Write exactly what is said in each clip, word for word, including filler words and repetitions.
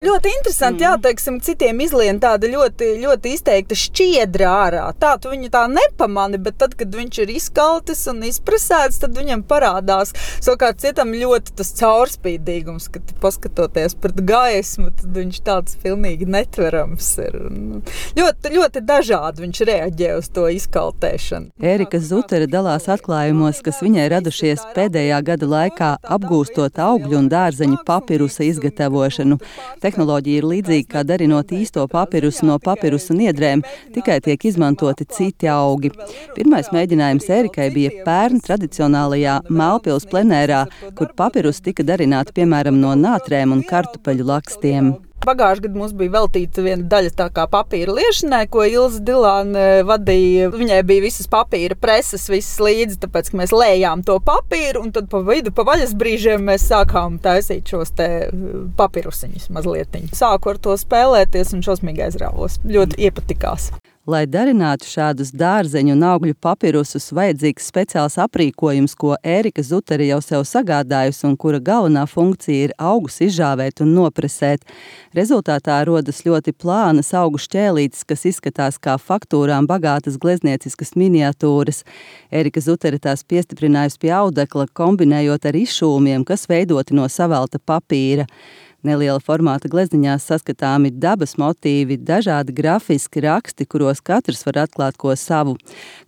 Ļoti interesanti, jā, teiksim, citiem izlien tāda ļoti, ļoti izteikta šķiedra ārā. Tā tu viņu tā nepamani, bet tad, kad viņš ir izkaltis un izpresēts, tad viņam parādās. Savukārt citam ļoti tas caurspīdīgums, kad paskatoties pret gaismu, tad viņš tāds pilnīgi netverams ir. Ļoti, ļoti dažādi viņš reaģē uz to izkaltēšanu. Ērika Zutere dalās atklājumos, kas viņai radušies pēdējā gada laikā, apgūstot augļu un dārzeņu papirusa izgatavošanu. Tehnoloģija ir līdzīga, kā darinot īsto papirusu no papirusa niedrēm, tikai tiek izmantoti citi augi. Pirmais mēģinājums Ērikai bija pērn tradicionālajā Mēlpils plenērā, kur papirus tika darināti piemēram no nātrēm un kartupeļu lakstiem. Pagājušajā gadā mums bija veltīta viena daļa tā kā papīra liešanai, ko Ilze Dilāne vadīja. Viņai bija visas papīra preses, visas līdzi, tāpēc, ka mēs lējām to papīru, un tad pa vidu, pa vaļas brīžiem mēs sākām taisīt šos te papirusiņus mazlietiņus. Sāku ar to spēlēties un šausmīgi aizrāvos. Ļoti iepatikās. Lai darinātu šādus dārzeņu un augļu papirusus, vajadzīgs speciāls aprīkojums, ko Ērika Zutere jau sev sagādājusi un kura galvenā funkcija ir augus izžāvēt un nopresēt. Rezultātā rodas ļoti plānas augu šķēlītes, kas izskatās kā faktūrām bagātas gleznieciskas miniatūras. Ērika Zutere tās piestiprinājusi pie audekla, kombinējot ar izšūmiem, kas veidoti no savelta papīra. Neliela formāta glezniņās saskatāmi dabas motīvi, dažādi grafiski raksti, kuros katrs var atklāt ko savu.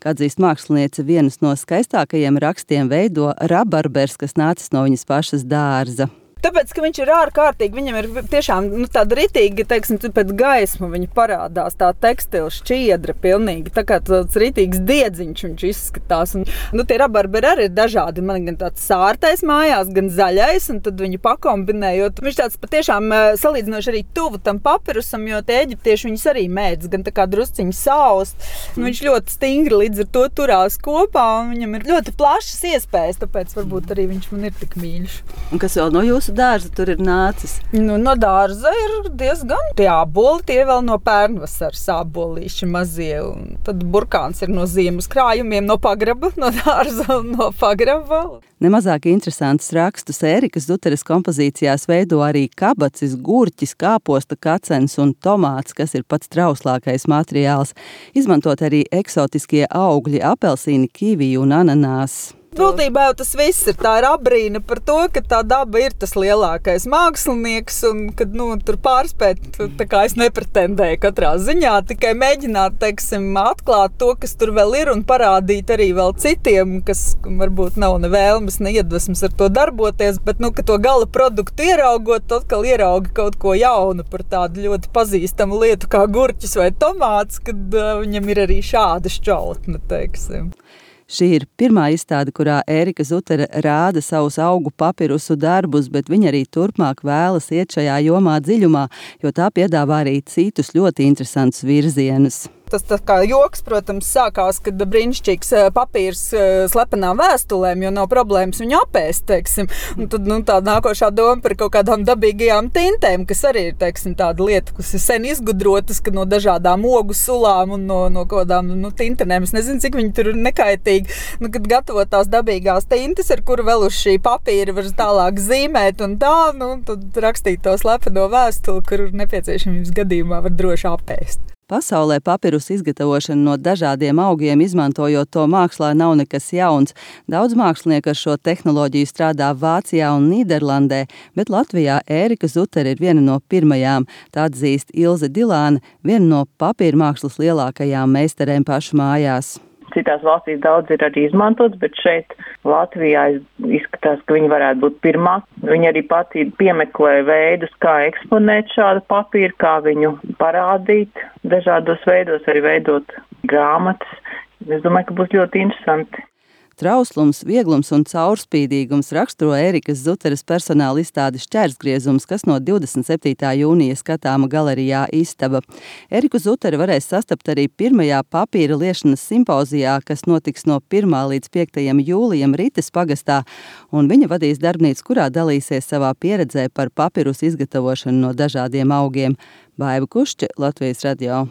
Kā atzīst māksliniece, vienus no skaistākajiem rakstiem veido rabarbers, kas nācis no viņas pašas dārza. Tāpēc, ka viņš ir ārkārtīgi, viņam ir tiešām nu, tāda ritīgi, teiksim, pēc gaismu viņa parādās, tā tekstila šķiedra pilnīgi, tā kā tāds ritīgs diedziņš viņš izskatās. Un, nu, tie rabarberi arī ir dažādi, man gan tāds sārtais mājās, gan zaļais, un tad viņu pakombinējot. Viņš tāds patiešām salīdzinoši arī tuvu tam papirusam, jo tie eģiptieši viņus arī mēdz, gan tā kā drusciņi saust. Un viņš ļoti stingri līdz ar to turās kopā, un viņam ir ļoti plašas iespējas, tāpēc varbūt arī viņš man ir tik mīļš. Un kas vēl no jūsu dārza tur ir nācis? Nu, no dārza ir diezgan tie āboli, tie vēl no pērnvasaras ābolīši mazie. Un tad burkāns ir no ziemas krājumiem, no pagraba, no dārza un no pagraba. Nemazāk interesantus rakstus Ērikas Zuteres kompozīcijās veido arī kabacis, gurķis, kāposta kacens un tomāts, kas ir pats trauslākais materiāls. Izmantot arī eksotiskie augļi, apelsīni, kiviju un ananās. Būtībā jau tas viss ir tā ir abrīna par to, ka tā daba ir tas lielākais mākslinieks un kad, nu, tur pārspēt, tā kā es nepretendēju katrā ziņā, tikai mēģināt, teiksim, atklāt to, kas tur vēl ir un parādīt arī vēl citiem, kas varbūt nav ne vēlmes, ne iedvesmas ar to darboties, bet, nu, ka to gala produktu ieraugot, atkal ieraugi kaut ko jaunu par tādu ļoti pazīstamu lietu kā gurķis vai tomāts, kad uh, viņam ir arī šāda šķautne, teiksim. Šī ir pirmā izstāde, kurā Ērika Zutere rāda savus augu papirusu darbus, bet viņa arī turpmāk vēlas iet šajā jomā dziļumā, jo tā piedāvā arī citus ļoti interesantus virzienus. Tas tā kā joks, protams, sākās, kad brīnišķīgs papīrs slepenām vēstulēm, jo nav problēmas viņu apēst, teiksim. Un tad, nu, tā nākošā doma par kaut kādām dabīgajām tintēm, kas arī ir, teiksim, tāda lieta, kas ir sen izgudrotas, ka no dažādām ogu sulām un no, no kādām, nu, tintenēm. Es nezinu, cik viņi tur ir nekaitīgi. Nu, kad gatavot tās dabīgās tintes, ar kuru vēl uz šī papīra var tālāk zīmēt un tā, nu, tad rakstīt to slepeno vēstuli, kur nepieciešamības gadījumā var droši apēst. Pasaulē papirusa izgatavošana no dažādiem augiem, izmantojot to mākslā, nav nekas jauns. Daudz mākslinieku ar šo tehnoloģiju strādā Vācijā un Nīderlandē, bet Latvijā Ērika Zutere ir viena no pirmajām. Tā atzīst Ilze Dilāne, viena no papīra mākslas lielākajām meistarēm pašu mājās. Citās valstīs daudz ir arī izmantots, bet šeit Latvijā izskatās, ka viņi varētu būt pirmā. Viņi arī pati piemeklē veidus, kā eksponēt šādu papīru, kā viņu parādīt dažādos veidos, arī veidot grāmatas. Es domāju, ka būs ļoti interesanti. Trauslums, vieglums un caurspīdīgums raksturo Ērikas Zuteres personāla izstādes Šķērsgriezums, kas no divdesmit septītā jūnija skatāma galerijā Istaba. Ēriku Zutere varēs sastapt arī pirmajā papīra liešanas simpozijā, kas notiks no pirmā līdz piektajam jūlijam Rites pagastā, un viņa vadīs darbnīcu, kurā dalīsies savā pieredzē par papirusu izgatavošanu no dažādiem augiem. Baiva Kušķe, Latvijas radio.